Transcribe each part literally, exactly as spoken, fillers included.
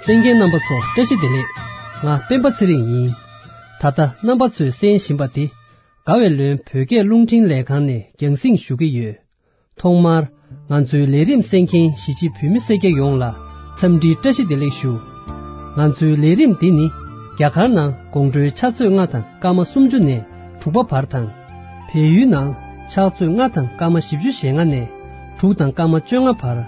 གསན་མཁན་རྣམ་པ་ཚོ་བཀྲ་ཤིས་བདེ་ལེགས། ང་སྤེན་པ་ཚེ་རིང་ཡིན། ད་ལྟ་རྣམ་པ་ཚོས་གསན་བཞིན་པ་འདི་དགའ་བའི་ལོན་བོད་སྐད་རླུང་འཕྲིན་ལས་ཁང་ནས་རྒྱང་སྲིང་ཞུ་གི་ཡོད། ཐོག་མར་ང་ཚོའི་ལས་རིམ་གསན་མཁན་གཞིས་བྱེས་བོད་མི་སེར་སྐྱ་ཡོངས་ལ་འཚམས་འདྲིའི་བཀྲ་ཤིས་བདེ་ལེགས་ཞུ། ང་ཚོའི་ལས་རིམ་འདི་ནི་རྒྱ་གར་ནང་དགོང་དྲོའི་ཕྱག་ཚོད་ལྔ་དང་སྐར་མ་སུམ་ཅུ་ནས་དྲུག་པ་བར་དང་། བལ་ཡུལ་ནང་ཕྱག་ཚོད་ལྔ་དང་སྐར་མ་བཞི་བཅུ་ཞེ་ལྔ་ནས་དྲུག་དང་སྐར་མ་བཅོ་ལྔ་བར།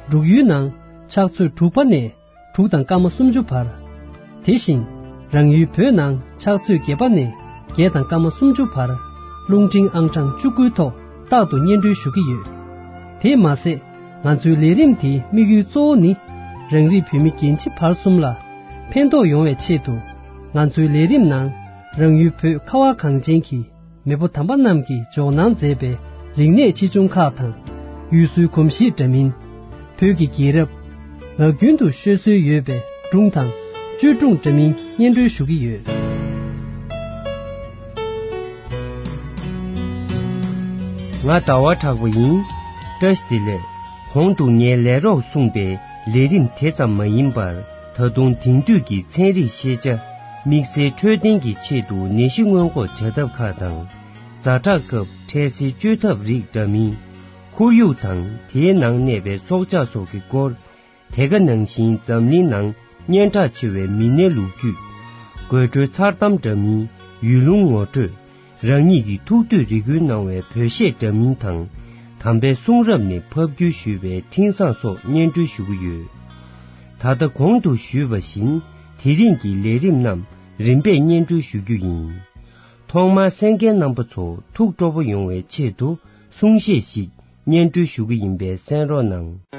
འབྲུག་ཡུལ་ནང་ཕྱག་ཚོད་དྲུག་པ་ནས་དྲུག་དང་སྐར་མ་སུམ་ཅུ་བར། དེ་བཞིན་རང་ཡུལ་བོད་ནང་ཕྱག་ཚོད་བརྒྱད་པ་ནས་བརྒྱད་དང་སྐར་མ་སུམ་ཅུ་བར་རླུང་འཕྲིན་ཨང་གྲངས་བཅུ་དགུའི་ཐོག་རྟག་ཏུ་སྙན་སྒྲོན་ཞུ་གི་ཡོད། དེས་མ་ཟད་ང་ཚོའི་ལས་རིམ་དེའི་དམིགས་ཡུལ་གཙོ་བོ་ནི་རང་རིགས་བོད་མི་རྒན་བྱིས་བར་གསུམ་ལ་ཕན་ཐོགས་ཡོང་བའི་ཆེད་དུ་ང་ཚོའི་ལས་རིམ་ནང་རང་ཡུལ་བོད་ཁ་བ་གངས་ཅན་གྱི་མེས་པོ་དམ་པ་རྣམས་ཀྱིས་འཇོག་གནང་མཛད་པའི་རིག་གནས་ཆེ་ཆུང་ཁག་དང་། ཡུལ་སྲོལ་གོམས་གཤིས་འདྲ་མིན། བོད་ཀྱི་རྒྱལ་རབས། ངག་རྒྱུན་དུ་ཤོད་སྲོལ་ཡོད་པའི་སྒྲུང་དང་བཅོས་སྒྲུང་འདྲ་མིན་སྙན་སྒྲོན་ཞུ་གི་ཡོད། ང་ཟླ་བ་གྲགས་པ་ཡིན། བཀྲ་ཤིས་བདེ་ལེགས། གོང་དུ་ངས་ལས་རོགས་གསུངས་པའི་ལས་རིམ་དེ་ཙམ་མ་ཡིན་པར། ད་དུང་དེང་དུས་ཀྱི་ཚན་རིག་ཤེས་བྱ། དམིགས་བསལ་འཕྲོད་བསྟེན་གྱི་ཆེད་དུ་ནད་གཞི་སྔོན་འགོག་བྱ་ཐབས་ཁག་དང་། ཛ་དྲག་སྐབས་འཕྲལ་སེལ་བཅོས་ཐབས་རིགས་འདྲ་མིན། ཁོར་ཡུག་དང་དེའི་ནང་གནས་པའི་སྲོག་ཆགས་སོགས་ཀྱི་སྐོར། དེ་ག་ནང་བཞིན་འཛམ་གླིང་ནང་སྙན་གྲགས་ཆེ་བའི་མི་སྣའི་ལོ་རྒྱུས། དགོད་བྲོའི་མཚར་གཏམ་འདྲ་མིན། ཡུལ་ལུང་ངོ་སྤྲོད། རང་ཉིད་ཀྱི་ཐུགས་འདོད་རེ་སྐུལ་གནང་བའི་བོད་གཞས་འདྲ་མིན་དང་། དམ་པའི་གསུང་རབ་ནས་ཕབ་བསྒྱུར་ཞུས་པའི་འཕྲིན་བཟང་སོགས་སྙན་སྒྲོན་ཞུ་གི་ཡོད། ད་ལྟ་གོང་དུ་ཞུས་པ་བཞིན་དེ་རིང་གི་ལས་རིམ་རྣམས་རིམ་པས་སྙན་སྒྲོན་ཞུ་རྒྱུ་ཡིན། ཐོག་མར་གསན་མཁན་རྣམ་པ་ཚོ་ཐུགས་སྤྲོ་པོ་ཡོང་བའི་ཆེད་དུ་གསུང་བཤད་ཞིག་སྙན་སྒྲོན་ཞུ་གི་ཡིན་པས་གསན་རོགས་གནང་།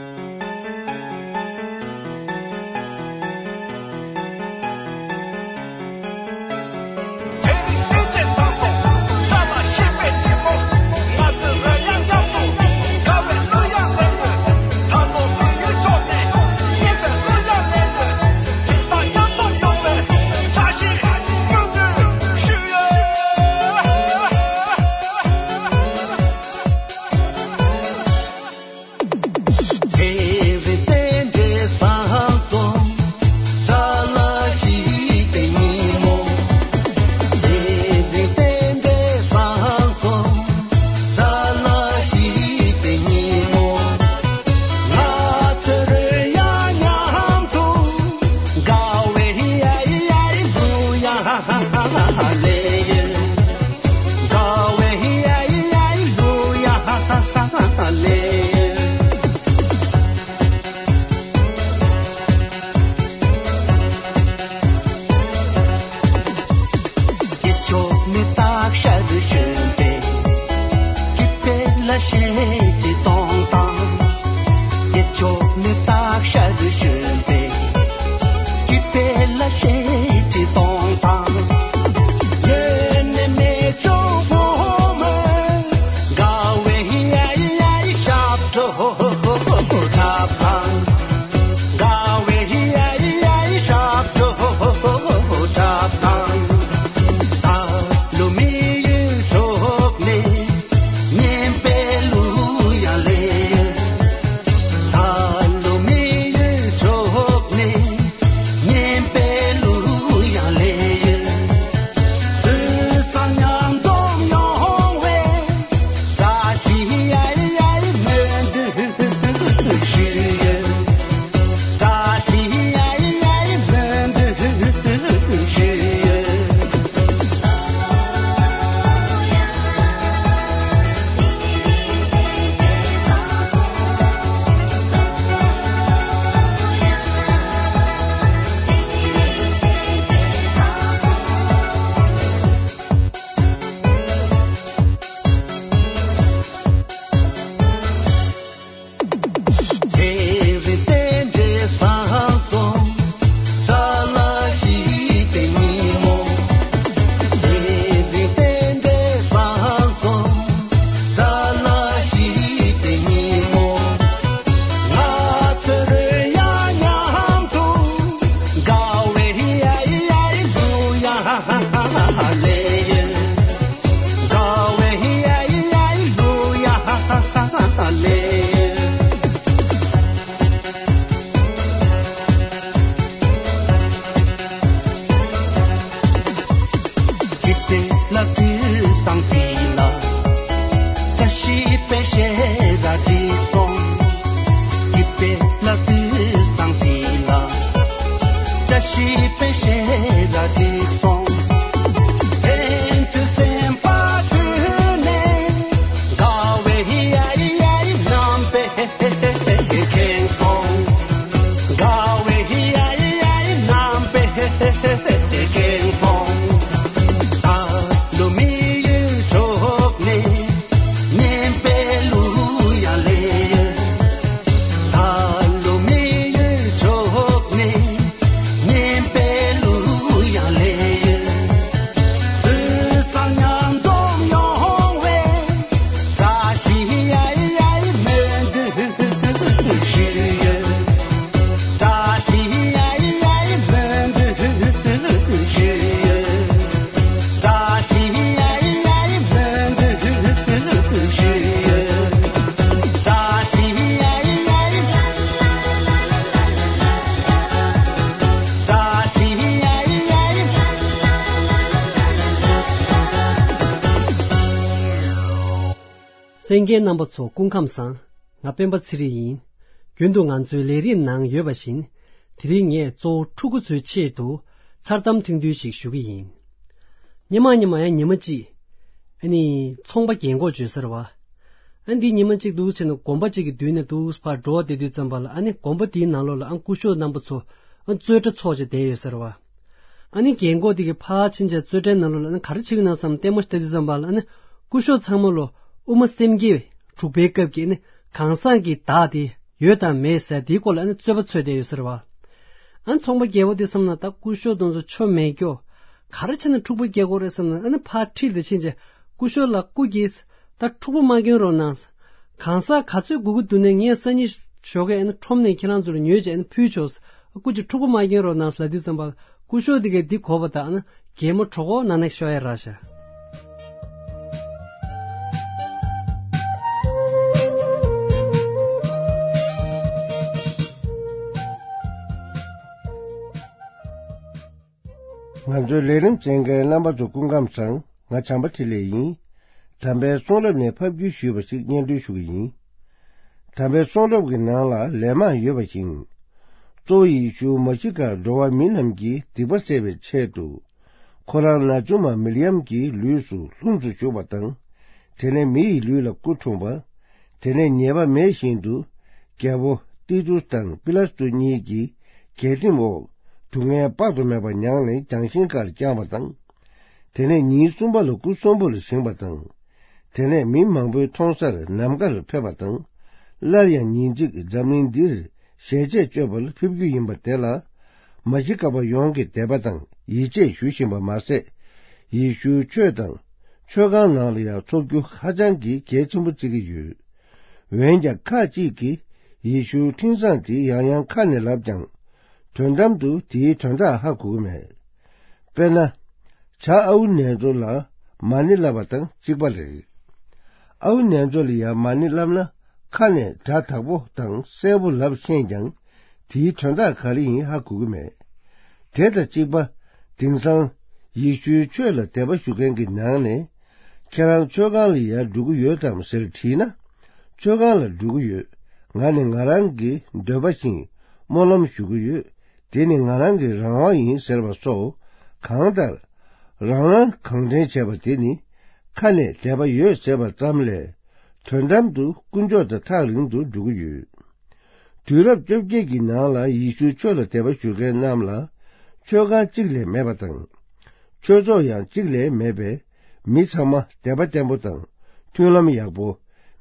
ལྷན་རྒྱས་རྣམ་པ་ཚོ་སྐུ་ཁམས་བཟང་། ང་སྤེན་པ་ཚེ་རིང་ཡིན། རྒྱུན་དུ་ང་ཚོའི་ལས་རིམ་ནང་ཡོད་པ་བཞིན། དེ་རིང་ངས་གཙོ་བོ་ཕྲུ་གུ་ཚོའི་ཆེད་དུ་མཚར་གཏམ་ཐུང་ཐུང་ཞིག་ཞུ་གི་ཡིན། སྔོན་མ་སྔོན་མ་ཡང་ཉི་མ་གཅིག་ཨ་ནི་ཚོང་པ་རྒན་གོག་བྱོས་ས་རེད་བ། ཨ་ནི་འདི་ཉི་མ་གཅིག་འདུག་བྱས་ན་དགོན་པ་གཅིག་གི་མདུན་ནས་འདུག་ཕར་འགྲོ་བསྡད་དུས་ཙམ་པ་ལ། ཨ་ནི་དགོན་པ་དེའི་ནང་ལོགས་ལ་ཨ་སྐུ་ཞབས་རྣམ་པ་ཚོ་ཨ་རྩོད་གྲྭ་ཚོགས་བྱས་བསྡད་ཡོད་ས་རེད་བ། ཨ་ནི་རྒན་གོག་དེ་གིས་ཕར་ཕྱིན་བྱས་རྩོད་གྲྭའི་ནང་ལོགས་ལ་ཨ་ནི་ག་རེ་བྱེད་ཀྱི་ན་བསམ་ལྟད་མོ་ཞིག་ལྟ་དུས་ཙམ་པ་ལ། ཨ་ནི་སྐུ་ཞབས་ཚང་མ་ལོ་དབུ་མ་སེམས་བསྐྱེད་དྲུག་པའི་སྐབས་ཀྱི་ཨ་ནི་གང་ཟག་གི་བདག་དེ་ཡོད་དང་མེད་ཟེར་དེའི་སྐོར་ལ་ཨ་ནི་རྩོད་པ་རྩོད་བསྡད་ཡོད་ས་རེད་བ། ཨ་ནི་ཚོང་པ་རྒད་པོ་དེ་བསམ་ན་ད་སྐུ་ཞབས་དེ་ཚོ་ཆོ་མེད་སྐྱོ། ག་རེ་བྱས་ན་འཁྲུག་པ་རྒྱག་དགོས་རེད་བསམ་ན། ཨ་ནི་ཕར་ཁྲིད་དེ་ཕྱིན་བྱས་སྐུ་ཞབས་ལགས་སྐུ་གིས་ད་འཁྲུག་པ་མ་སྐྱོན་རོགས་གནང་། གང་ཟག་ག་ཚོད་དགོས་ཀྱི་འདུག་ན་ངས་སང་ཉིན་ཞོགས་ཀས་ཨ་ནི་ཁྲོམ་ནས་ཁྱེད་རང་ཚོ་ལ་ཉོས་བྱས་ཨ་ནི་ཕུལ་ཆོག། སྐུ་མཁྱེན་འཁྲུག་པ་མ་སྐྱོན་རོགས་གནང་ལབ་དུས་ཙམ་པ་སྐུ་ཞབས་དེ་གས་འདི་གོ་བ་དང་ཨ་ནི་གད་མོ་གྲོགས་པོ་ནང་ནས་ཤོར་ཡ་རག་ཤག། ང་ཚོའི་ལས་རིམ་གསན་མཁན་རྣམ་པ་ཚོ་སྐུ་ཁམས་བཟང་། ང་བྱམས་པ་འཕྲིན་ལས་ཡིན། དམ་པའི་གསུང་རབ་ནས་ཕབ་བསྒྱུར་ཞུས་པ་ཞིག་སྙན་སྒྲོན་ཞུ་གི་ཡིན། དམ་པའི་གསུང་རབ་ཀྱི་ནང་ལ་ལན་མང་ཡོད་པ་བཞིན། གཙོ་བོ་ཡེ་ཤུ་མཱ་ཤི་ཀ་འགྲོ་བ་མི་རྣམས་ཀྱི་སྡིག་པ་སེལ་བའི་ཆེད་དུ། ཁོ་རང་ན་ཆུང་མ་མིར་ཡམ་གྱི་ལུས་སུ་ལྷུམས་སུ་ཞུགས་པ་དང་། དེ་ནས་མི་ཡི་ལུས་ལ་སྐུ་འཁྲུངས་པ། དེ་ནས་ཉེས་པ་མེད་བཞིན་དུ། རྒྱལ་པོ་ཏི་ཏུས་དང་པི་ལ་ཏུ་གཉིས་ཀྱི་གྱལ་ཁྲིམས་འོག་སྡུག་བསྔལ་དཔག་ཏུ་མེད་པ་མྱངས་ནས་རྒྱང་ཤིང་ཁར་བརྐྱངས་པ་དང་། དེ་ནས་ཉིན་གསུམ་པ་ལ་སྐུ་གསོན་པོ་ལ་བཞེངས་པ་དང་། དེ་ནས་མི་མང་པོའི་མཐོང་སར་ནམ་མཁར་ཕེབས་པ་དང་། སླར་ཡང་ཉིན་གཅིག་འཛམ་གླིང་འདིར་ཞལ་ཆད་གཅོད་པར་ཕེབས་རྒྱུ་ཡིན་པ་དེ་ལ། མཱ་ཤི་ཀ་པ་ཡོངས་ཀྱིས་དད་པ་དང་ཡིད་ཆེས་ཞུ་བཞིན་པ་མ་ཟད། ཡེ་ཤུའི་ཆོས་དང་ཆོས་ཁང་ནང་ལ་ཡང་འཚོགས་རྒྱུ་ཧ་ཅང་གི་གལ་ཆེན་པོ་བརྩི་གི་ཡོད། འོན་ཀྱང་ཁ་ཅིག་གིས་ཡེ་ཤུའི་འཕྲིན་བཟང་དེ་ཡང་ཡང་ཁ་ནས་ལབ་ཀྱང་། དོན་དམ་དུ་དེའི་དོན་དག་ཧ་གོ་གི་མེད། དཔེར་ན། བྱ་ཨའུ་ནན་ཙོ་ལ་མ་ཎི་བསླབ་པ་དང་གཅིག་པ་རེད། ཨའུ་ནན་ཙོ་ལ་ཡང་མ་ཎི་བསླབ་ན་ཁ་ནས་སྒྲ་དག་པོ་དང་གསལ་པོ་ལབ་ཤེས་ཀྱང་དེའི་དོན་དག་ག་རེ་ཡིན་ཧ་གོ་གི་མེད། དེ་དང་གཅིག་པ། དེང་སང་ཡེ་ཤུའི་ཆོས་ལ་དད་པ་ཞུ་མཁན་གྱི་ནང་ནས་ཁྱེད་རང་ཆོས་ཁང་ལ་ཡར་འགྲོ་གི་ཡོད་དམ་ཟེར་དྲིས་ན། ཆོས་ཁང་ལ་འགྲོ་གི་ཡོད། ང་ནི་ང་རང་གི་འདོད་པ་བཞིན་སྨོན་ལམ་ཞུ་གི་ཡོད། དེ་ནི་ང་རང་གི་རང་དབང་ཡིན་ཟེར་བ་སོགས་གང་ལྟར། རང་དབང་གང་དྲན་བྱས་པ་དེ་ནི་ཁ་ནས་དད་པ་ཡོད་ཟེར་བ་ཙམ་ལས་དོན་དམ་དུ་དཀོན་མཆོག་དང་ཐག་རིང་དུ་འགྲོ་གི་ཡོད། དུས་རབས་བཅོ་བརྒྱད་ཀྱི་ནང་ལ་ཡེ་ཤུའི་ཆོས་ལ་དད་པ་ཞུ་མཁན་རྣམས་ལ་ཆོས་ཁང་གཅིག་ལས་མེད་པ་དང་། ཆོས་ཚོགས་ཡང་གཅིག་ལས་མེད་པས། མི་ཚང་མ་དད་པ་བརྟན་པོ་དང་མཐུན་ལམ་ཡག་པོ།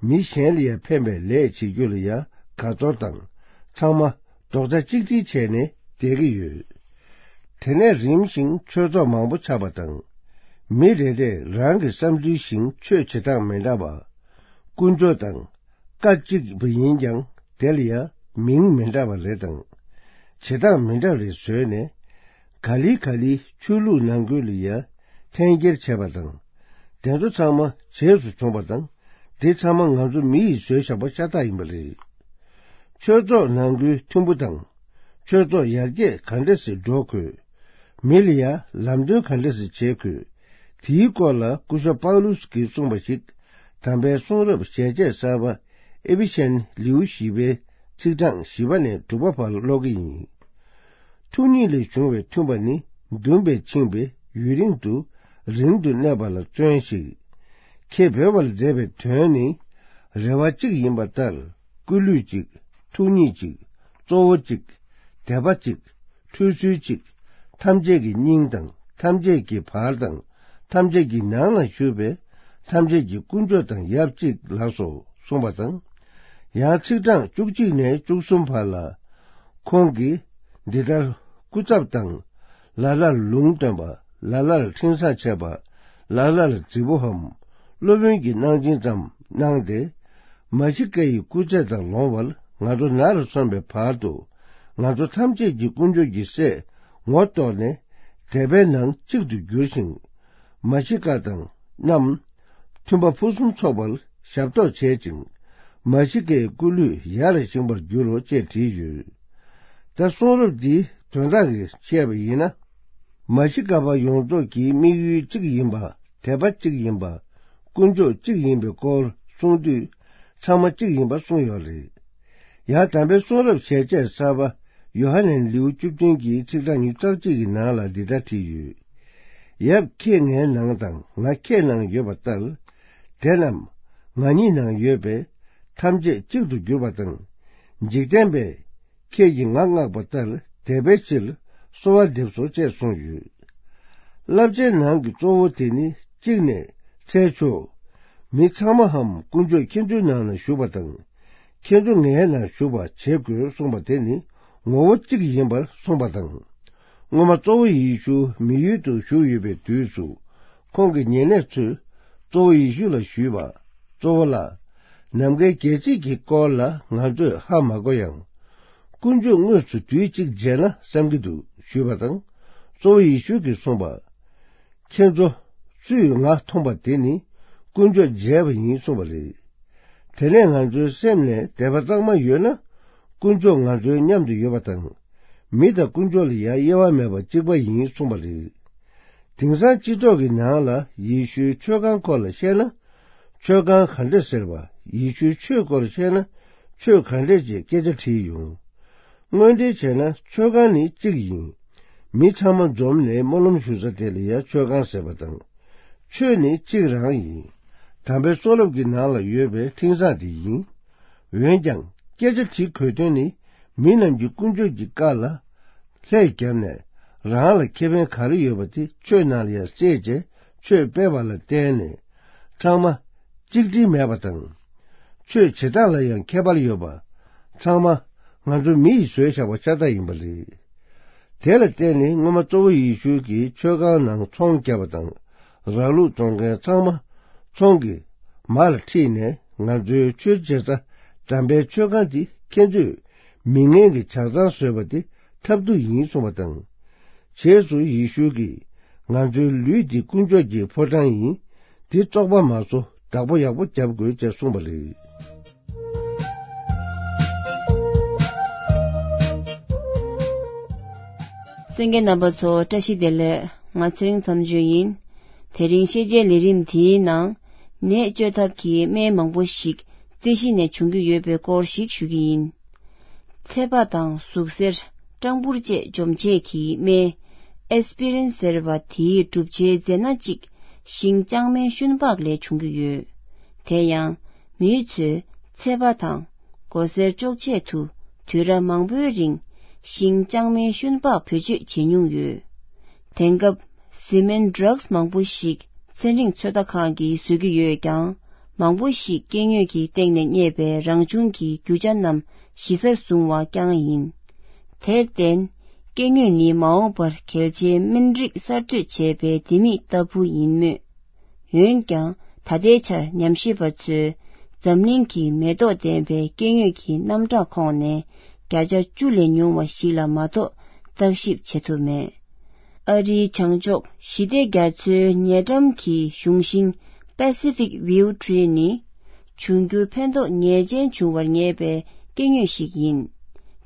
མི་གཞན་ལ་ཡང་ཕན་པའི་ལས་བྱེད་རྒྱུ་ལ་ཡང་དགའ་ཚོར་དང་། ཚང་མ་རྡོག་རྩ་གཅིག་སྒྲིལ་བྱས་ནས་བསྡད་ཀྱི་ཡོད། དེ་ནས་རིམ་བཞིན་ཆོས་ཚོགས་མང་པོ་ཆགས་པ་དང་། མི་རེ་རེས་རང་གི་བསམ་ཚུལ་བཞིན་ཆོས་བྱེད་སྟངས་མི་འདྲ་བ། དཀོན་མཆོག་དང་བཀའ་གཅིག་པ་ཡིན་ཀྱང་དེ་ལ་ཡང་མིང་མི་འདྲ་བ་རེ་དང་། བྱེད་སྟངས་མི་འདྲ་བ་རེ་བཟོས་ནས། ག་ལེ་ག་ལེ་ཆོས་ལུགས་ནང་ཁུལ་ལ་ཡང་འཐེན་འཁྱེར་བྱས་པ་དང་། དེ་ཚོ་ཚང་མ་རྗེས་སུ་བྱུང་བ་དང་། དེ་ཚང་མ་ང་ཚོ་མི་ཡིས་བཟོས་བཞག་པ་ཤ་སྟག་ཡིན་པ་རེད། ཆོས་ཚོགས་ནང་ཁུལ་མཐུན་པོ་དང་། ཆོས་ཚོགས་ཡར་རྒྱས་ག་འདྲ་སེ་འགྲོ་དགོས། མི་ལ་ཡང་ལམ་སྟོན་ག་འདྲ་སེ་བྱེད་དགོས། དེའི་སྐོར་ལ་སྐུ་ཞབས་པའུ་ལུས་ཀྱིས་གསུངས་པ་ཞིག་དམ་པའི་གསུང་རབ་ཞལ་ཆད་གསར་པ་ཨེ་ཕི་ཤན་ལེའུ་བཞི་པའི་ཚིག་གྲངས་བཞི་པ་ནས་དྲུག་པ་བར་ཀློག་གི་ཡིན། ཐུགས་ཉིད་ལས་བྱུང་བའི་མཐུན་པ་ནི། འདུན་པས་འཆིང་བས་ཡུན་རིང་དུ། རིང་དུ་གནས་པ་ལ་བརྩོན་ཞིག་ཁྱེད་འབད་པར་མཛད་པའི་དོན་ནི། རེ་བ་གཅིག་ཡིན་པ་ལྟར། སྐུ་ལུས་གཅིག་ཐུགས་ཉིད་གཅིག་གཙོ་བོ་གཅིག་དད་པ་གཅིག་འཁྲུལ་སོལ་གཅིག་ཐམས་ཅད་ཀྱི་སྙིང་དང་། ཐམས་ཅད་ཀྱི་བར་དང་། ཐམས་ཅད་ཀྱི་ནང་ན་བཞུགས་པའི་ཐམས་ཅད་ཀྱི་དཀོན་མཆོག་དང་ཡབ་གཅིག་ལགས་སོ་གསུངས་པ་དང་། ཡང་ཚིག་གྲངས་བཅུ་གཅིག་ནས་བཅུ་གསུམ་བར་ལ། ཁོང་གིས་འདི་ལྟར་སྐུ་ཚབ་དང་། ལ་ལར་ལུང་སྟོན་པ། ལ་ལར་འཕྲིན་བཟང་འཆད་པ། ལ་ལར་རྫི་བོའམ་སློབ་དཔོན་གྱི་གནང་སྦྱིན་ཙམ་གནང་སྟེ། མཱ་ཤི་ཀ་ཡི་སྐུ་ཚེ་དང་ལོངས་སྤྱོད་ང་ཚོ་ན་རུ་སོན་པའི་བར་དུ། ང་ཚོ་ཐམས་ཅད་ཀྱི་དཀོན་མཆོག་གི་སྲས་ངོ་རྟོགས་ནས། དད་པའི་ནང་གཅིག་ཏུ་གྱུར་ཞིང་། མཱ་ཤི་ཀ་དང་རྣམས་མཐུན་པ་ཕུན་སུམ་ཚོགས་པར་ཞབས་ཏོག་བྱེད་ཅིང་། མཱ་ཤི་ཀའི་སྐུ་ལུས་ཡར་བཞེངས་པར་འགྱུར་རོ་ཅེས་བྲིས་ཡོད། ད་གསུང་རབ་འདིའི་དོན་དག་གིས་བཤད་པ་ཡིན་ན། མཱ་ཤི་ཀ་པ་ཡོངས་རྫོགས་ཀྱི་དམིགས་ཡུལ་གཅིག་ཡིན་པ། དད་པ་གཅིག་ཡིན་པ། དཀོན་མཆོག་གཅིག་ཡིན་པའི་སྐོར་ གསུང་དུས་ཚང་མ་གཅིག་ཡིན་པ་གསུངས་ཡོད་རེད། ཡང་དམ་པའི་གསུང་རབ་ཞལ་ཆད་གསར་པ་ཡོ་ཧ་ནན་ལེའུ་བཅུ་བདུན་གྱི་ཚིག་གྲངས་ཉི་ཤུ་རྩ་གཅིག་གི་ནང་ལ་འདི་ལྟར་བྲིས་ཡོད། ཡབ་ཁྱེད་ངའི་ནང་དང་ང་ཁྱེད་ནང་ཡོད་པ་ལྟར། དེ་རྣམས་ང་ཉིད་ནང་ཡོད་པས་ཐམས་ཅད་གཅིག་ཏུ་གྱུར་པ་དང་། འཇིག་རྟེན་པས་ཁྱེད་ཀྱིས་ང་མངགས་པ་ལྟར་དད་པའི་ཕྱིར་གསོལ་བ་འདེབས་སོ་ཅེས་གསུངས་ཡོད། བསླབ་བྱའི་ནང་གི་གཙོ་བོ་དེ་ནི་གཅིག་ནས་འཚལ་ཆོག་མི་ཚང་མའམ་དཀོན་མཆོག་ཁྱེད་ཚོའི་ནང་ན་བཞུགས་པ་དང་། ཁྱེད་ཚོ་ངའི་ནང་བཞུགས་པ་བྱེད་དགོས་གསུངས་པ་དེ་ནི་ངོ་བོ་གཅིག་ཡིན་པར་གསུངས་པ་དང་། སྔོན་མ་གཙོ་བོ་ཡེ་ཤུ་མི་ཡུལ་དུ་བཞུགས་ཡོད་པའི་དུས་སུ། ཁོང་གི་ཉེ་གནས་ཚོས་གཙོ་བོ་ཡེ་ཤུ་ལ་ཞུས་པ། གཙོ་བོ་ལགས། ནམ་མཁའི་རྒྱལ་སྲིད་ཀྱི་སྐོར་ལ་ང་ཚོས་ཧ་མ་གོ་ཡང་། དཀོན་མཆོག་དངོས་སུ་དུས་གཅིག་མཇལ་ན་བསམ་གྱི་འདུག་ཞུས་པ་དང་། གཙོ་བོ་ཡེ་ཤུ་གིས་གསུངས་པ། ཁྱེད་ཚོ་སུས་ང་མཐོང་པ་དེ་ནི་དཀོན་མཆོག་མཇལ་བ་ཡིན་གསུངས་པ་རེད། དེ་ནས་ང་ཚོའི་སེམས་ནས་དད་པ་གཙང་མ་ཡོད་ན། དཀོན་མཆོག་ང་ཚོའི་མཉམ་དུ་ཡོད་པ་དང་། མི་དང་དཀོན་མཆོག་ལ་ཡང་དབྱེ་བ་མེད་པར་གཅིག་པ་ཡིན་གསུངས་པ་རེད། དེང་སང་སྤྱི་ཚོགས་ཀྱི་ནང་ལ་ཡེ་ཤུའི་ཆོས་ཁང་སྐོར་ལ་བཤད་ན། ཆོས་ཁང་ག་འདྲ་ཟེར་བ། ཡེ་ཤུའི་ཆོས་སྐོར་བཤད་ན་ཆོས་ག་འདྲ་ཅེས་སྐད་ཆ་དྲིས་ཡོང་། དངོས་འབྲེལ་བྱས་ན་ཆོས་ཁང་ནི་གཅིག་ཡིན། མི་ཚང་མ་འཛོམས་ནས་སྨོན་ལམ་ཞུ་ས་དེ་ལ་ཡང་ཆོས་ཁང་ཟེར་བ་དང་། ཆོས་ནི་གཅིག་རང་ཡིན། དམ་པའི་གསུང་རབ་ཀྱི་ནང་ལ་ཡོད་པའི་འཕྲིན་བཟང་དེ་ཡིན། འོན་ཀྱང་སྐད་ཆ་དྲི་དགོས་དོན་ནི། མི་རྣམས་ཀྱིས་དཀོན་མཆོག་གི་བཀའ་ལ་ལྷད་བརྒྱབ་ནས། རང་ལ་ཁེ་ཕན་ག་རེ་ཡོད་པ་དེ་ཆོས་ནང་ལ་ཡང་གསལ་བྱས་ཆོས་སྤེལ་བ་ལ་བརྟེན་ནས། ཚང་མ་གཅིག་སྒྲིལ་མེད་པ་དང་། ཆོས་བྱེད་སྟངས་ལ་ཡང་ཁྱད་པར་ཡོད་པ། ཚང་མ་ང་ཚོ་མི་ཡིས་བཟོས་བཞག་པ་ཤ་སྟག་ཡིན་པ་རེད། དེ་ལ་བརྟེན་ནས་སྔོན་མ་གཙོ་བོ་ཡེ་ཤུ་གིས་ཆོས་ཁང་ནང་ཚོང་བརྒྱབ་པ་དང་། ར་ལུག་བཙོང་མཁན་ཚང་མ་ཚོང་གི་མ་ལ་ཁྲིད་ནས། ང་ཚོའི་ཆོས་བྱེད་ས་དམ་པའི་ཆོས་ཁང་འདི་ཁྱེད་ཚོས་མི་ངན་གྱི་ཇག་ཚང་བཟོས་པ་དེ་ཐབས་སྡུག་ཡིན་གསུངས་པ་དང་། རྗེས་སུ་ཡེ་ཤུ་གིས་ང་ཚོའི་ལུས་འདི་དཀོན་མཆོག་གི་ཕོ་བྲང་ཡིན། འདི་བཙོག་པ་མ་བཟོ། བདག་པོ་ཡག་པོ་རྒྱབ་དགོས་ཅེས་གསུངས་པ་རེད། གསན་མཁན་རྣམ་པ་ཚོ་བཀྲ་ཤིས་བདེ་ལེགས། ང་ཚེ་རིང་མཚམས་གཅོད་ཡིན། དེ་རིང་ཤེས་བྱའི་ལས་རིམ་འདིའི་ནང་ནད་བཅོས་ཐབས་ཀྱི་སྨན་མང་པོ་ཞིག་རྩི་ཤིང་ནས་བྱུང་གི་ཡོད་པའི་སྐོར་ཞིག་ཞུ་གི་ཡིན། ཚད་པ་དང་ཟུག་གཟེར། སྐྲངས་འབུར་བཅས་འཇོམས་བྱེད་ཀྱི་སྨན་ཨེ་སི་པི་རིན་ཟེར་བ་དེའི་གྲུབ་ཆའི་རྫས་སྣ་གཅིག་ཤིང་ལྕང་མའི་ཤུན་ལྤགས་ལས་བྱུང་གི་ཡོད། དེ་ཡང་མིའི་ཚོས་ཚད་པ་དང་མགོ་སེར་གཅོག་ཆེད་དུ་དུས་རབས་མང་པོའི་རིང་ཤིང་ལྕང་མའི་ཤུན་ལྤགས་བེད་སྤྱོད་བྱེད་མྱོང་ཡོད། དེང་སྐབས་བཟི་སྨན་ཌྲག་སི་མང་པོ་ཞིག་ཚན་རིག་ཚོད་ལྟ་ཁང་གིས་བཟོ་གི་ཡོད་ཀྱང་། མང་པོ་ཞིག་སྐྱེ་དངོས་ཀྱི་སྟེང་ནས་རྙེད་པའི་རང་བྱུང་གི་རྒྱུ་ཆ་རྣམས་གཞི་རྩར་བཟུང་བ་རྐྱང་ཡིན། དེར་བརྟེན། སྐྱེ་དངོས་ནི་མ་འོངས་པར་གལ་ཆེའི་སྨན་རིགས་གསར་གཏོད་བྱས་པའི་ལྡེ་མིག་ལྟ་བུ་ཡིན་མོད། འོན་ཀྱང་། ད་ལྟའི་ཆར་ཉམས་ཞིབ་པ་ཚོས་འཛམ་གླིང་གི་མེ་ཏོག་ལྡན་པའི་སྐྱེ་དངོས་ཀྱི་རྣམ་གྲངས་ཁོངས་ནས་བརྒྱ་ཆ་བཅུ་ལས་ཉུང་བ་ཞིག་ལ་མ་གཏོགས་བརྟག་ཞིབ་བྱེད་ཐུབ་མེད། ཨ་རིའི་བྱང་ཕྱོགས་ཞི་བདེ་རྒྱ་མཚོའི་ཉེ་འགྲམ་གྱི་གཞུང་ཤིང་Pacific Yew Tree ནི། འབྱུང་འགྱུར་ཕན་ཐོགས་ངེས་ཅན་འབྱུང་བར་ངེས་པའི་སྐྱེ་དངོས་ཤིག་ཡིན།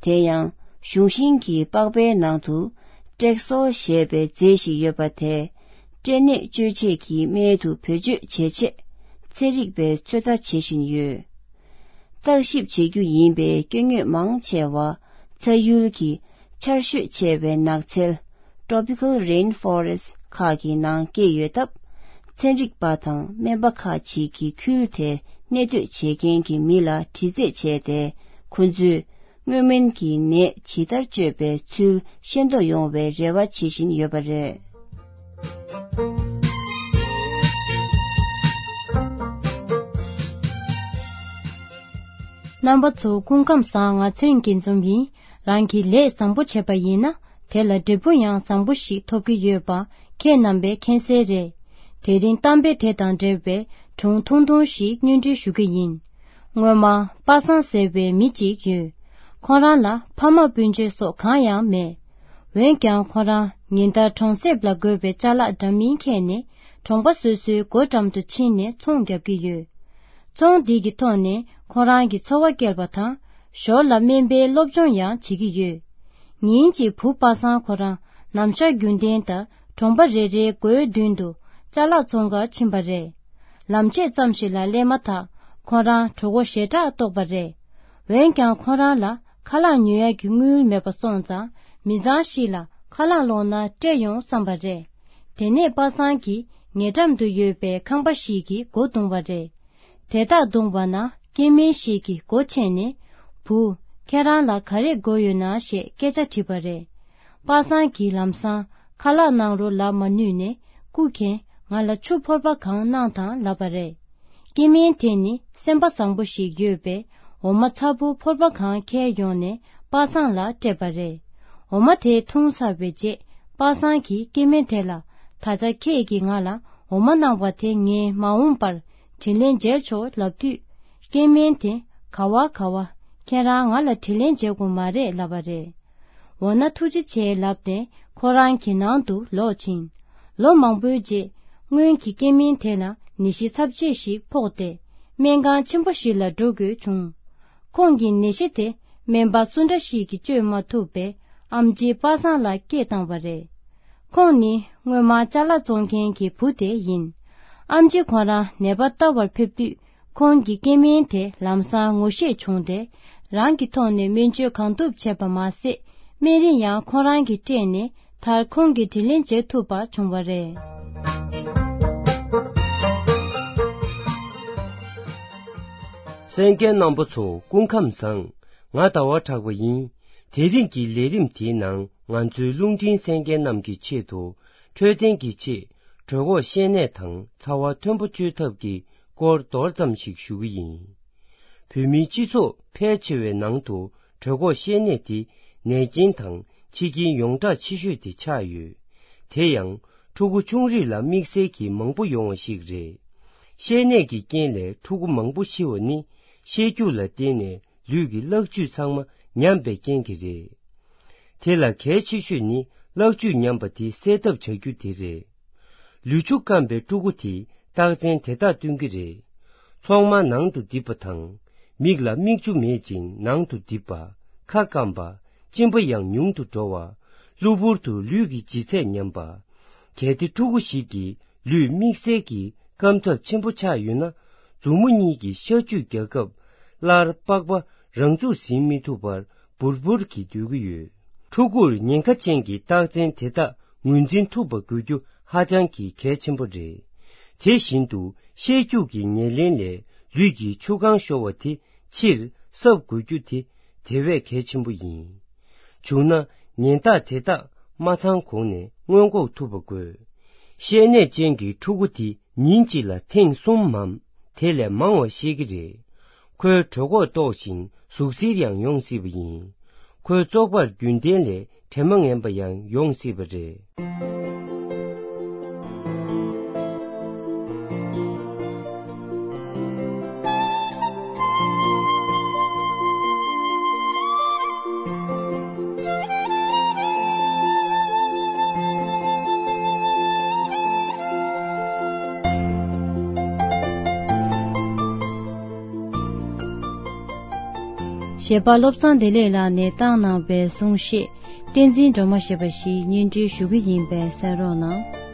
དེ་ཡང་གཞུང་ཤིང་གི་པགས་པའི་ནང་དུ་ཀྲེག་སོལ་ཞེས་པའི་རྫས་ཤིག་ཡོད་པ་དེ་སྐྲན་ནད་བཅོས་བྱེད་ཀྱི་སྨན་དུ་བེད་སྤྱོད་བྱེད་ཆེད་ཚན་རིག་པས་ཚོད་ལྟ་བྱེད་བཞིན་ཡོད། བརྟག་ཞིབ་བྱེད་རྒྱུ་ཡིན་པའི་སྐྱེ་དངོས་མང་ཆེ་བ་ཚ་ཡུལ་གྱི་ཆར་ཞོད་ཆེ་བའི་ནགས་ཚལ། Tropical Rainforest ཁག་གི་ནང་སྐྱེས་ཡོད་སྟབས། ཚན་རིག་པ་དང་སྨན་པ་ཁག་ཅིག་གིས་ཁུལ་དེར་གནས་སྡོད་བྱེད་མཁན་གྱི་མི་ལ་དྲི་རྩད་བྱས་ཏེ། ཁོ་ཚོས་སྔོན་སྨན་གྱི་ནད་ཇི་ལྟར་བཅོས་པའི་ཚུལ་ཤེས་རྟོགས་ཡོང་བའི་རེ་བ་བྱེད་བཞིན་ཡོད་པ་རེད། རྣམ་པ་ཚོ་སྐུ་ཁམས་བཟང་། ང་ཚེ་རིང་སྐྱིད་འཛོམས་ཡིན། རང་གིས་ལས་བཟང་པོ་བྱས་པ་ཡིན་ན། དེ་ལ་འབྲས་བུ་ཡང་བཟང་པོ་ཞིག་ཐོབ་ཀྱི་ཡོད་པ་ཁྱེད་རྣམ་པས་མཁྱེན་གསལ་རེད། དེ་རིང་གཏམ་དཔེ་དེ་དང་འབྲེལ་བའི་སྒྲུང་ཐུང་ཐུང་ཞིག་སྙན་སྒྲོན་ཞུ་གི་ཡིན། སྔོན་མ་པ་སངས་ཟེར་བའི་མི་གཅིག་ཡོད། ཁོ་རང་ལ་ཕ་མ་སྤུན་མཆེད་སོགས་གང་ཡང་མེད། འོན་ཀྱང་ཁོ་རང་ཉིན་ལྟར་གྲོང་གསེབ་ལ་དགོས་པའི་ཅ་ལག་འདྲ་མིན་འཁྱེར་ནས་གྲོང་པ་སོ་སོའི་སྒོ་འགྲམ་དུ་ཕྱིན་ནས་ཚོང་བརྒྱབ་ཀྱི་ཡོད། ཚོང་འདི་གི་ཐོག་ནས་ཁོ་རང་གི་འཚོ་བ་སྐྱེལ་བ་དང་། ཞོར་ལ་སྨན་པའི་སློབ་སྦྱོང་ཡང་བྱེད་ཀྱི་ཡོད། ཉིན་གཅིག་བུ་པ་སངས་ཁོ་རང་ནམ་ཞག་རྒྱུན་ལྡན་ལྟར་གྲོང་པ་རེ་རེའི་སྒོའི་མདུན་དུ་ཅ་ལག་ཚོང་ཁར་ཕྱིན་པ་རེད། ལམ་ཕྱེད་ཙམ་ཞིག་ལ་སླེབས་མ་ཐག་ཁོ་རང་གྲོད་ཁོག་ཞེ་དྲག་ལྟོགས་པ་རེད། འོན་ཀྱང་ཁོ་རང་ལ་ཁ་ལག་ཉོ་ཡག་གི་དངུལ་མེད་པ་སོང་ཙང་མི་ཚང་ཞིག་ལ་ཁ་ལག་སློང་ན་སྤྲད་ཡོང་བསམ་པ་རེད། དེ་ནས་པ་སངས་ཀྱིས་ཉེ་འགྲམ་དུ་ཡོད་པའི་ཁང་པ་ཞིག་གི་སྒོ་བརྡུངས་པ་རེད། དེ་ལྟར་བརྡུངས་པ་ན་སྐྱེ་དམན་ཞིག་གིས་སྒོ་ཕྱེ་ནས། བུ། ཁྱེད་རང་ལ་ག་རེ་དགོས་ཡོད་ན་ཞེས་སྐད་ཆ་དྲིས་པ་རེད། པ་སངས་ཀྱིས་ལམ་སང་ཁ་ལག་གནང་རོགས་ལབ་མ་ནུས་ནས། སྐུ་མཁྱེན། ང་ལ་ཆུ་ཕོར་པ་གང་གནང་དང་ལབ་པ་རེད། སྐྱེ་དམན་དེ་ནི་སེམས་པ་བཟང་པོ་ཞིག་ཡོད་པས། འོ་མ་ཚ་པོ་ཕོར་པ་གང་འཁྱེར་ཡོང་ནས་པ་སངས་ལ་སྤྲད་པ་རེད། འོ་མ་དེ་འཐུང་ཚར་བའི་རྗེས་པ་སངས་ཀྱིས་སྐྱེ་དམན་དེ་ལ། ད་ཆ་ཁྱེད་ཀྱིས་ང་ལ་འོ་མ་གནང་བ་དེ་ངས་མ་འོངས་པར་དྲིན་ལན་འཇལ་ཆོག་ལབ་དུས། སྐྱེ་དམན་དེ། ག་བ་ག་བ། ཁྱེད་རང་ང་ལ་དྲིན་ལན་འཇལ་དགོས་མ་རེད་ལབ་པ་རེད། འོ་ན་ཐུགས་རྗེ་ཆེ་ལབ་ནས་ཁོ་རང་གི་ནང་དུ་ལོག་ཕྱིན། ལོ་མང་པོའི་རྗེས་སྔོན་གྱི་སྐྱེ་དམན་དེ་ལ་ནད་གཞི་ཚབས་ཆེ་ཞིག་ཕོག་སྟེ། སྨན་ཁང་ཆེན་པོ་ཞིག་ལ་འགྲོ་དགོས་བྱུང་། ཁོང་གི་ནད་གཞི་དེ་སྨན་པ་སུ་འདྲ་ཞིག་གིས་བཅོས་མ་ཐུབ་པས་ཨེམ་ཆི་པ་སངས་ལ་སྐྱེས་བཏང་བ་རེད། ཁོང་ནི་སྔོན་མ་ཅ་ལག་བཙོང་མཁན་གྱི་བུ་དེ་ཡིན། ཨེམ་ཆི་ཁོ་རང་ནད་པ་ལྟ་བར་ཕེབས་དུས། ཁོང་གི་སྐྱེ་དམན་དེ་ལམ་སང་ངོ་ཤེས་བྱུང་སྟེ། རང་གི་ཐོག་ནས་སྨན་བཅོས་གང་ཐུབ་བྱས་པ་མ་ཟད། སྨན་རིན་ཡང་ཁོ་རང་གིས་སྤྲད་ནས། མཐར་ཁོང་གིས་དྲིན་ལན་འཇལ་ཐུབ་པ་བྱུང་བ་རེད། གསན་མཁན་རྣམ་པ་ཚོ་སྐུ་ཁམས་བཟང་། ང་ཟླ་བ་གྲགས་པ་ཡིན། དེ་རིང་གི་ལས་རིམ་དེའི་ནང་ང་ཚོའི་རླུང་འཕྲིན་གསན་མཁན་རྣམས་ཀྱི་ཆེད་དུ། འཕྲོད་བསྟེན་གྱི་ཆེད་གྲོད་ཁོག་བཤལ་ནད་དང་ཚ་བ་མཐོན་པོ་བཅོས་ཐབས་ཀྱི་སྐོར་མདོར་ཙམ་ཞིག་ཞུ་གི་ཡིན། བོད་མིའི་སྤྱི་ཚོགས་ཕལ་ཆེ་བའི་ནང་དུ་གྲོད་ཁོག་བཤལ་ནད་དེ་ནད་རྐྱེན་དང་འཆི་རྐྱེན་ཡོངས་གྲགས་ཆེ་ཤོས་དེ་ཆགས་ཡོད། དེ་ཡང་ཕྲུ་གུ་ཆུང་རིགས་ལ་དམིགས་བསལ་གྱིས་མང་པོ་ཡོང་བ་ཞིག་རེད། བཤལ་ནད་ཀྱི་རྐྱེན་ལས་ཕྲུ་གུ་མང་པོ་ཤི་བ་ནི་བཤལ་རྒྱུགས་ལ་བརྟེན་ནས་ལུས་ཀྱི་གླག་བཅུད་ཚང་མ་ཉམས་པའི་རྐྱེན་གྱིས་རེད། དེ་ལ་གལ་ཆེ་ཤོས་ནི་གླག་བཅུད་ཉམས་པ་དེ་སེལ་ཐབས་བྱ་རྒྱུ་དེ་རེད། ལུས་ཆུ་སྐམ་པའི་ཕྲུ་གུ་དེས་རྟགས་མཚན་དེ་དག་སྟོན་གྱི་རེད། མཚོག་མ་ནང་དུ་རྡིབ་པ་དང་། མིག་ལ་མིག་ཆུ་མེད་ཅིང་ནང་དུ་རྡིབ་པ། ཁ་སྐམ་པ། གཅིན་པ་ཡང་ཉུང་དུ་འགྲོ་བ། གློ་བུར་དུ་ལུས་ཀྱི་ལྗིད་ཚད་ཉམས་པ། གལ་ཏེ་ཕྲུ་གུ་ཞིག་གི་ལུས་དམིགས་བསལ་གྱི་སྐམ་ཐབས་ཆེན་པོ་ཆགས་ཡོད་ན། མཛུབ་མོ་གཉིས་ཀྱིས་ཤ་བཅུད་རྒྱག་སྐབས། སླར་པགས་པ་རང་ཚུགས་ཟིན་མི་ཐུབ་པར་འབུར་འབུར་གྱིས་སྡོད་ཀྱི་ཡོད། ཕྲུ་གུར་ཉེན་ཁ་ཅན་གྱི་རྟགས་མཚན་དེ་དག་ངོས་འཛིན་ཐུབ་པ་དགོས་རྒྱུ་ཧ་ཅང་གི་གལ་ཆེན་པོ་རེད། དེ་བཞིན་དུ་བཤལ་རྒྱུགས་ཀྱི་ཉེར་ལེན་ལས་ལུས་ཀྱི་ཆུ་གང་ཤོར་བ་དེ་ཕྱིར་གསབ་དགོས་རྒྱུ་དེ་དེ་བས་གལ་ཆེན་པོ་ཡིན། བྱུང་ན་ཉེན་རྟགས་དེ་དག་མ་ཚང་གོང་ནས་སྔོན་འགོག་ཐུབ་པ་དགོས། བཤལ་ནད་ཅན་གྱི་ཕྲུ་གུ་དེ་ཉིན་གཅིག་ལ་ཐེངས་གསུམ་མམ། དེ་ལས་མང་བ་བཤལ་གྱི་རེད། ཁོའི་གྲོད་ཁོག་ལྟོགས་ཤིང་ཟུག་གཟེར་ཡང་ཡོང་སྲིད་པ་ཡིན། ཁོའི་བཙོག་པར་རྒྱུན་ལྡན་ལས་དྲན་མ་ངན་པ་ཡང་ཡོང་སྲིད་པ་རེད། གཞས་པ་བློ་བཟང་བདེ་ལེགས་ལགས་ནས་བཏང་གནང་བའི་གསུང་བཤད། བསྟན་འཛིན་སྒྲོལ་མ་ཞེས་པ་ཞིག་སྙན་སྒྲོན་ཞུ་གི་ཡིན་པས་གསན་རོགས་གནང་།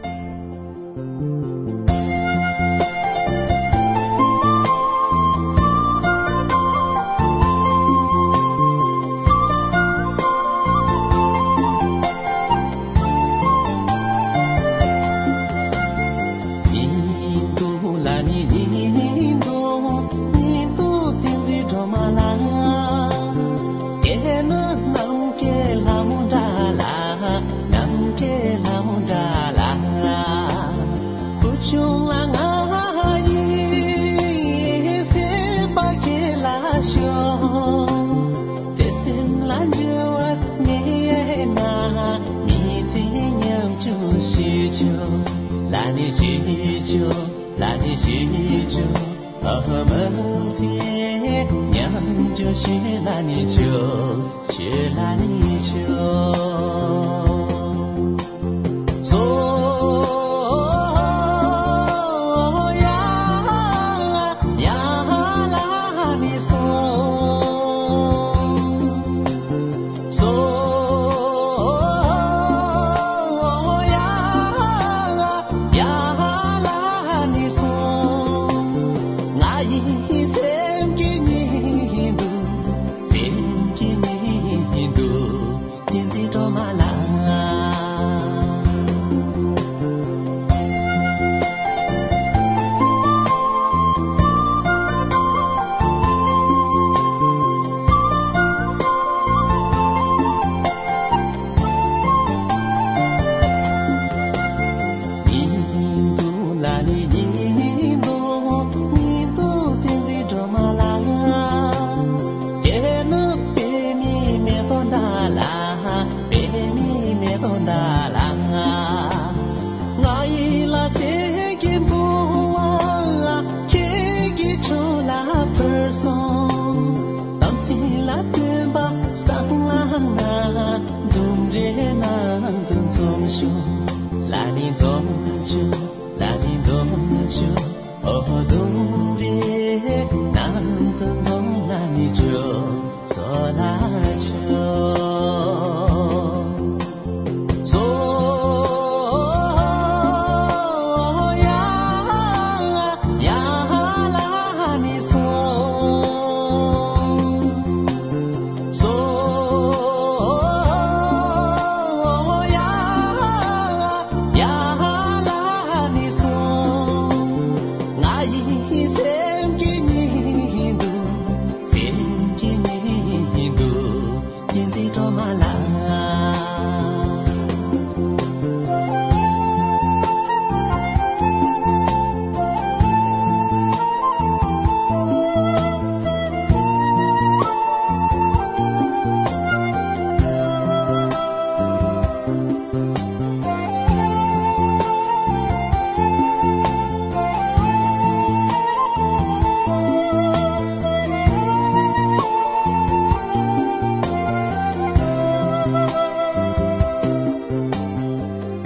གྲོ་མ་ལ།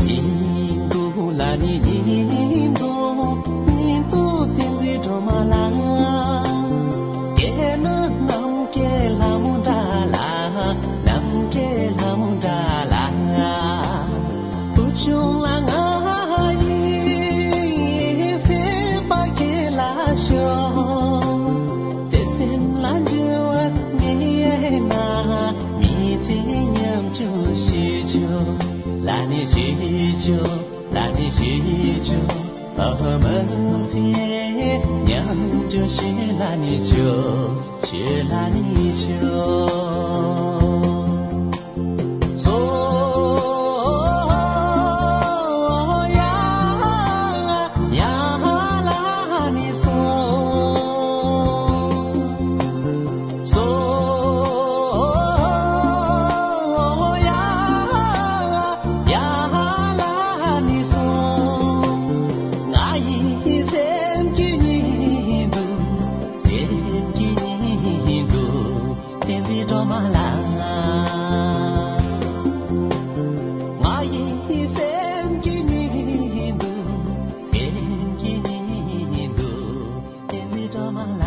ཉིན་དུ་ལ་ནི་ཉིན་དུ་ཉིན་དུ་བསྟན་འཛིན་སྒྲོལ་མ་ལ། རྒྱལ་ན་ནམ་མཁའི་ལྷ་མོ་འདྲ་ལ། ནམ་མཁའི་ལྷ་མོ་འདྲ་ལ། བུ་ཆུང་ལ་ང་ཡི་སེམས་པ་ཁྱེད་ལ་ཤོག་བརྩེ་སེམས་ལ་འགྱུར་བ་མེད་ན། མི་ཚེ་ཉམ་ཆུང་ཞིག་བྱོས། ལ་ནི་ཞིག་བྱོས། ལ་ནི་ཞིག་བྱོས། ཨ་མ་ཚེ་ཉམ་ཆུང་ཞིག་ལ་ནི་བྱོས། ཞིག་ལ་ནི་བྱོས། སོ་ཡ་ཡ་ལ་ནི་སོ། སོ་ཡ་ཡ་ལ་ནི་སོ། ང་ཡི་སེམས་ཀྱི་ཉི་འདུག་སེམས་ཀྱི་ཉི་འདུག་བསྟན་འཛིན་སྒྲོལ་མ་ལ། ང་ཡི་སེམས་ཀྱི་ཉི་འདུག་སེམས་ཀྱི་ཉི་འདུག་བསྟན་འཛིན་སྒྲོལ་མ་ལ།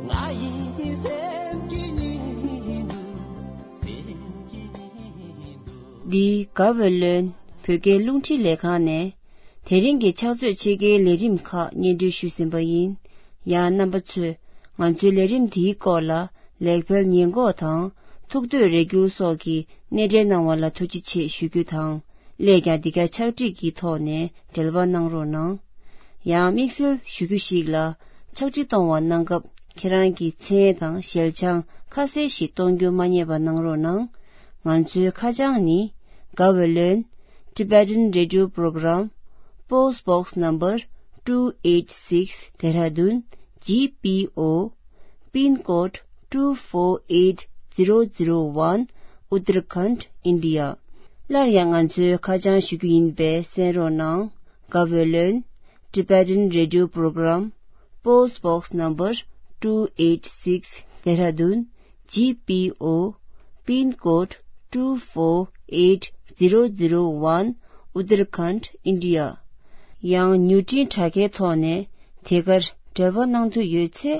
ང་ཡི་སེམས་ཀྱི་ཉི་འདུག་སེམས་ཀྱི་ཉི་འདུག་འདི་ག་བོད་ལོན་བོད་སྐད་རླུང་འཕྲིན་ལས་ཁང་ནས། དེ་རིང་གི་ཕྱག་ཚོད་ཕྱེད་ཀའི་ལས་རིམ་ཁག་སྙན་སྒྲོན་ཞུས་ཟིན་པ་ཡིན། ཡང་རྣམ་པ་ཚོས་ང་ཚོའི་ལས་རིམ་འདིའི་སྐོར་ལ་ལེགས་སྤེལ་ཉེས་འགོག་དང་ཐུགས་འདོད་རེ་སྐུལ་སོགས་ཀྱི་སྣེ་འདྲེན་གནང་བ་ལ་ཐུགས་རྗེ་ཆེ་ཞུ་རྒྱུ་དང་། སླད་ཀྱང་འདི་ག་ཕྱག་བྲིས་ཀྱི་ཐོག་ནས་འབྲེལ་བ་གནང་རོགས་གནང་། ཡང་དམིགས་བསལ་ཞུ་རྒྱུ་ཞིག་ལ། ཕྱག་བྲིས་གཏོང་བ་གནང་སྐབས་ཁྱེད་རང་གི་མཚན་དང་ཞལ་བྱང་ཁ་གསལ་ཞིག་གཏོང་རྒྱུ་མ་བསྙེལ་བ་གནང་རོགས་གནང་། ང་ཚོའི་ཁ་བྱང་ནི། Gaweylon Tibetan Radio Program, Post Box Number two eight six, Dehradun G P O, Pin Code two four eight zero zero one, Uttarakhand, India. སླར་ཡང་ང་ཚོའི་ཁ་བྱང་ཞུ་རྒྱུ་ཡིན་པས་གསན་རོགས་གནང་། Gaweylon Tibetan Radio Program, Post Box Number two eight six, Dehradun G P O, Pin Code two four eight zero zero one, Uttarakhand, India. ཡང་མྱུར་འཕྲིན་དྲ་རྒྱའི་ཐོག་ནས་དེ་གར་འབྲེལ་བ་གནང་འདོད་ཡོད་ཚེ།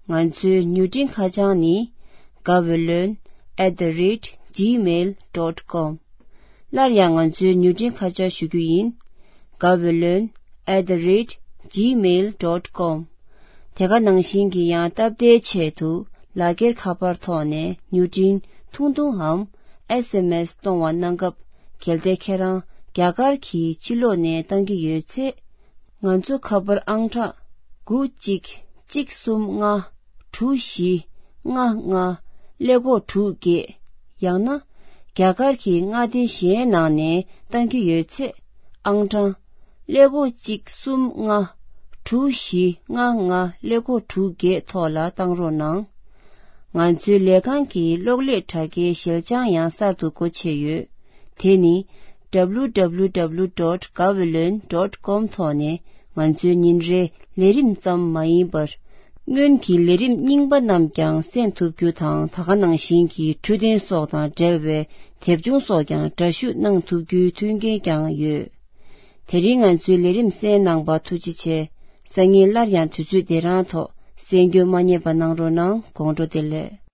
ང་ཚོའི་མྱུར་འཕྲིན་ཁ་བྱང་ནི། Gaweylon at the rate gmail dot com། སླར་ཡང་ང་ཚོའི་མྱུར་འཕྲིན་ཁ་བྱང་ཞུ་རྒྱུ་ཡིན། Gaweylon at the rate gmail dot com། དེ་ག་ནང་བཞིན་གྱི་ཡང་སྟབས་བདེའི་ཆེད་དུ་ལག་འཁྱེར་ཁ་པར་ཐོག་ནས་མྱུར་འཕྲིན་ཐུང་ཐུང་འམ་S M S གཏོང་བ་གནང་སྐབས། གལ་ཏེ་ཁྱེད་རང་རྒྱ་གར་གྱི་ཕྱི་ལོགས་ནས་བཏང་གི་ཡོད་ཚེ། ང་ཚོ་ཁ་པར་ཨང་གྲངས་དགུ་གཅིག་གཅིག་གསུམ་ལྔ་དྲུག་བཞི་ལྔ་ལྔ་ཀླད་ཀོར་དྲུག་བརྒྱད། ཡང་ན་རྒྱ་གར་གྱི་མངའ་སྡེ་གཞན་ནང་ནས་བཏང་གི་ཡོད་ཚེ། ཨང་གྲངས་ཀླད་ཀོར་གཅིག་གསུམ་ལྔ་དྲུག་བཞི་ལྔ་ལྔ་ཀླད་ཀོར་དྲུག་བརྒྱད་ཐོག་ལ་བཏང་རོགས་གནང་། ང་ཚོའི་ལས་ཁང་གི་གློག་ཀླད་དྲ་རྒྱའི་ཞལ་བྱང་ཡང་གསར་དུ་སྒོ་ཕྱེ་ཡོད། དེ་ནི། W W W dot gaweylon dot com ཐོག་ནས་ང་ཚོའི་ཉིན་རེའི་ལས་རིམ་ཙམ་མ་ཡིན་པར། སྔོན་གྱི་ལས་རིམ་རྙིང་པ་རྣམས་ཀྱང་གསན་ཐུབ་རྒྱུ་དང་། ད་ག་ནང་བཞིན་གྱི་འཕྲོད་བསྟེན་སོགས་དང་འབྲེལ་བའི་དེབ་ཆུང་སོགས་ཀྱང་འདྲ་བཤུས་གནང་ཐུབ་རྒྱུའི་མཐུན་རྐྱེན་ཀྱང་ཡོད། དེ་རིང་ང་ཚོའི་ལས་རིམ་གསན་གནང་བར་ཐུགས་རྗེ་ཆེ། སང་ཉིན་སླར་ཡང་དུས་ཚོད་འདི་རང་ཐོག་གསན་རྒྱུ་མ་བསྙེལ་བ་གནང་རོགས་གནང་། དགོང་དྲོ་བདེ་ལེགས།